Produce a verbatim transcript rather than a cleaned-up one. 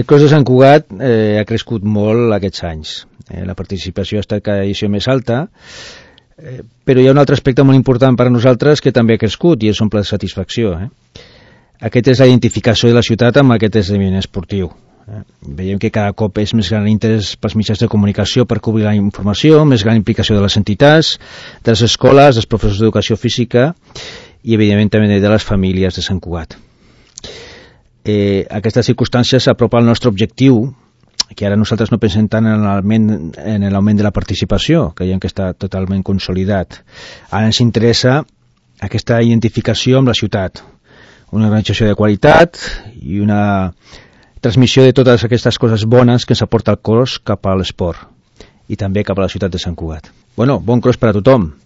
El cos de Sant Cugat eh, ha crescut molt aquests anys. Eh, la participació ha estat cada edició més alta, eh, però hi ha un altre aspecte molt important per a nosaltres que també ha crescut i és un pla de satisfacció. Eh? Aquest és la identificació de la ciutat amb aquest esdeveniment esportiu. Eh? Veiem que cada cop és més gran l'interès pels mitjans de comunicació per cobrir la informació, més gran implicació de les entitats, de les escoles, dels professors d'educació física i, evidentment, també de les famílies de Sant Cugat. Eh, aquestes circumstàncies s'apropa al nostre objectiu, que ara nosaltres no pensem tant en l'augment de la participació, que creiem que està totalment consolidat. Ara ens interessa aquesta identificació amb la ciutat, una organització de qualitat i una transmissió de totes aquestes coses bones que ens aporta el cos cap a l'esport i també cap a la ciutat de Sant Cugat. Bueno, bon cross per a tothom.